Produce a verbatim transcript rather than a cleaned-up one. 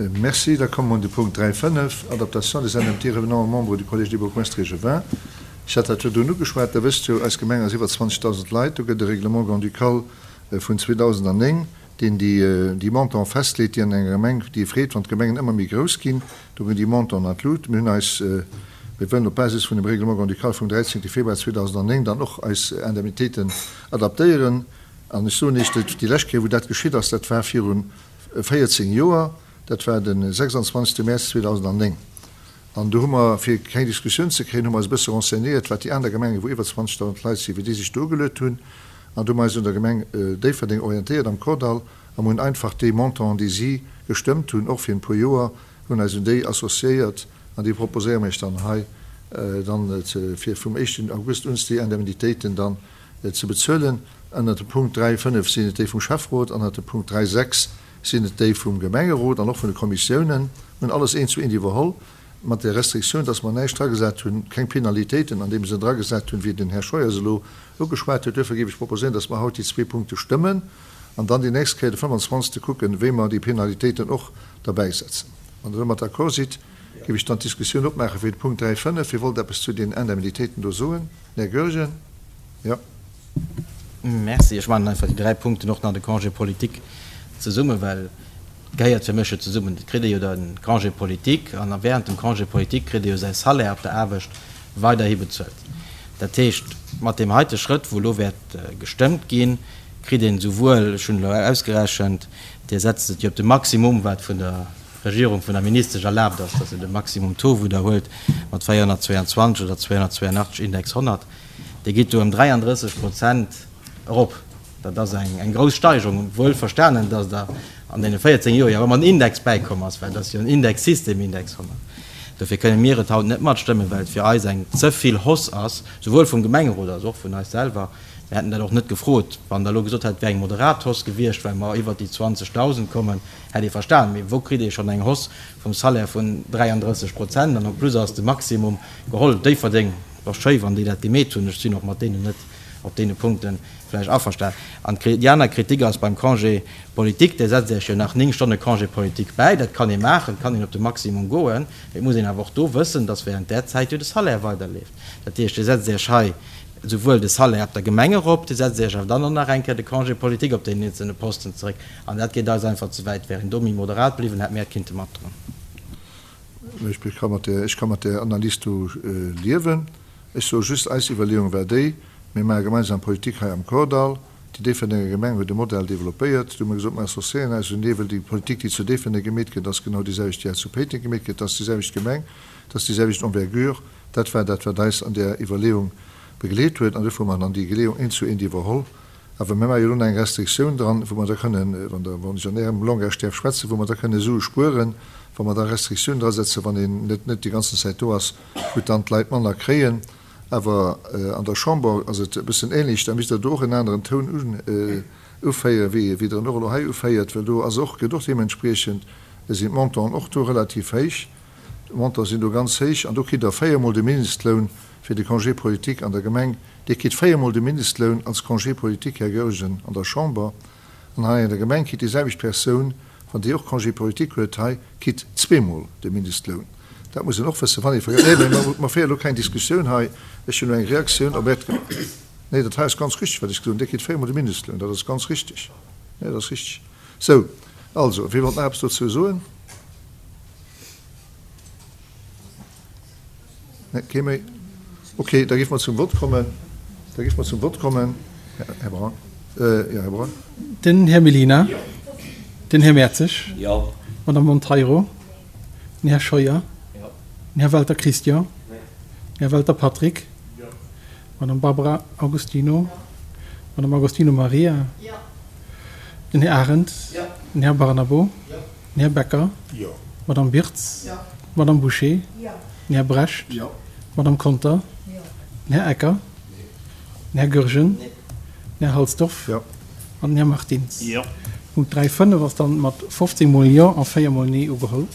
Merci. Da komme mer un de Punkt dräi fënnef, Adaptation des indemnités revenant aux membres du Collège des bourgmestres échevins. Ech hat dat virdrun ugeschwat. Der wësst jo, eis Gemeng ass iwwer zwanzegdausend Leit. Do gëtt e Règlement grand-ducal vun zweedausendanneng, deen déi, déi Montanten festleet, déi an enger Gemeng, déi ee freet, wann d'Gemengen ëmmer méi grouss ginn. Do ginn déi Montanten an d'Lut. Mir hunn eis, mir wëllen op Basis vun dem Règlement grand-ducal vum dräizéngte Februar zweedausendanneng dann och eis Indemnitéiten adaptéieren. An ech soen Iech, déi lescht Kéier, wou dat geschitt ass, dat war viru véierzéng Joer, dat war de sechsandzwanzegste Mäerz zweedausendanneng. An do hu mer, fir keng Diskussioun ze kréien, hu mer eis e bësse renseignéiert, wat déi aner Gemengen, wou iwwer zwanzegdausend Leit sinn, wéi déi sech do ugeluet hunn. An do hu mer eis un der Gemeng Déifferdeng orientéiert am Kordall a mer hunn einfach déi Montanten, déi si gestëmmt hunn, och fir en puer Joer, hunn eis un déi associéiert an déi proposéiere mer Iech dann hei dann, fir vum éischten August un déi Indemnitéiten dann ze bezuelen. Ënnert dem Punkt dräi fënnef sinn et déi vum Schäfferot, ënnert dem Punkt dräi sechs sinn et déi vum Gemengerot an och vun de Kommissiounen. Mir hunn alles eent zu eent iwwerholl, mat der Restriktioun, dass mer näischt dragesat hunn, keng Penalitéiten an deem Sënn dragesat hunn, wéi den Här Scheuer se elo ugeschwat huet. Duerfir géif ech proposéieren, dass mer haut déi zwee Punkte stëmmen an dann déi nächst Kéier de fënfandzwanzegste kucken, wéi mer déi Penalitéiten och derbäisetzen. Wann Der domat d'accord sidd, géif ech dann d'Diskussioun opmaache fir de Punkt dräi fënnef. Wie wollt eppes zu den Indemnitéiten do soen? Den Här Goergen. Jo. Merci. Ech maachen einfach déi dräi Punkten och nach de Congé politique zesummen, well et gehéiert fir mech jo zesummen. Et kritt ee jo de Congé politique an während dem Congé politique kritt ee jo säi Salaire op der Aarbecht weiderhi bezuelt. Dat heescht, mat deem heite Schrëtt, wou elo wäert gestëmmt ginn, kritt een esouwuel, ech hunn elo ausgerechent, Dir setzt et jo op de Maximum, wat vun der Regierung, vun der Ministesch erlaabt ass, dass se de Maximum Taux widderhuelt mat véierhonnertzweianzwanzeg oder zweihonnertzweiunachtzeg Index honnert, Dir gitt do ëm dräiandrësseg Prozent erop. Dat ass eng grouss Steigerung, wuel verstanen, dass Der an deene véierzéng Joer jo ëmmer en Index bäikomm ass, well et ass jo en Indexsystem, Index honnert. Dofir kënne mir et haut net matstëmmen, well et fir eis eng ze vill Hausse ass, souwuel vum Gemengerot als och vun eis selwer. Mir hätten dat och net gefrot. Wann Der elo gesot hätt, et wär eng moderat Hausse gewiescht, well mer iwwert déi zwanzegdausend kommen, hätt ee verstanen. Mee wou kritt ee schonn eng Hausse vum Salaire vun dräiandrësseg Prozent? An en plus ass de Maximum geholl. Déifferdeng, et ass schéi, wann déi dat gemeet hunn. Ech sinn och mat deenen net op deene Punkte vläicht averstan. An déi aner Kritik ass beim Congé politique, Dir setzt Iech jo nach néng Stonne Congé politique bäi. Dat kann ee maachen, et kann een op de Maximum goen, mee et muss een awer och do wëssen, dass während där Zäit jo de Salaire weiderleeft. Dat heescht, Dir setzt Iech hei esouwuel de Salaire op der Gemeng erop, Dir setzt Iech awer dann och nach eng Kéier de Congé politique op deenen eenzelne Posten zeréck. An dat geet eis einfach ze wäit. Wär een do méi moderat bliwwen, hätt mir et kinnte matdroen. Ech ka mat där Analys do liewen. Ech soe just, eis Iwwerleeung war déi, Mir maache gemeinsam Politik hei am Kordall. Déi Déifferdenger Gemeng huet e Modell developpéiert. Do hu mir gesot, mir associéieren eis un dee, well déi Politik, déi zu Déifferdeng gemeet gëtt, ass genau déi selwecht, déi hei zu Péiteng gemeet gëtt. Et ass déi selwecht Gemeng, et ass déi selwecht Envergure. Dat war dat, wat eis an där Iwwerleeung begleet huet. An duerfir hu mer dann déi Geleeung eent zu eent iwwerholl. Awer mir maache jo elo nach eng Restriktioun dran, wou mer da kënnen, wann Der, wann ech an Ärem Langage däerf schwätzen, wou mer da kënne Sue spueren, wa mer da Restriktiounen drasetzen, wann een net net déi ganzen Zäit do ass, wou dann d'Leit manner kréien. Awer an der Chamber ass et e bëssen ähnlech, da misst Der do och en aneren Toun uféieren, wéi wéi Der en och elo hei uféiert, well do ass och, gëtt och deementspriechend, sinn d'Montanten och do relativ héich, d'Montanten sinn do ganz héich an do kritt Der véiermol de Mindestloun fir de Congé politique an der Gemeng. Dir kritt véiermol de Mindestloun als Congé politique, Här Goergen, an der Chamber. An hei an der Gemeng kritt déi selwecht Persoun, wann déi och Congé politique huet hei, kritt zweemol de Mindestloun. Dat muss een och wëssen, wann ee vergësst. Nee, mä mer féiere elo keng Diskussioun hei. Ech hunn elo eng Reaktioun op Äert. Nee, dat hei ass ganz richtig, wat ech gesot hunn. Dir kritt véiermol de Mindestloun. Dat ass ganz richtig. Nee, dat ass richtig. Sou, also, wie wollt nach eppes dozou soen? Nee, kee méi? Okay, da géife mer zum Vott kommen. Da géife mer zum Vott kommen. Här Braun. Jo, Här Braun. Den Här Mellina. Den Här Mertzig. Jo. D'Madame Monteiro. Den Här Scheuer. Den Här Welter Christian. Den Här Welter Patrick. D'Madame Barbara Augustino. D'Madame Augustino Maria. Den Här Arendt. Den Här Barnabo. Den Här Becker. D'Madame Birtz. D'Madame Bouché. Den Här Brecht. D'Madame Conter. Den Här Ecker. Den Här Goergen. Den Här Halsdorf. An den Här Martins. Punkt dräi fënnef ass dann mat fofzéng mol Jo a véier mol Nee ugeholl.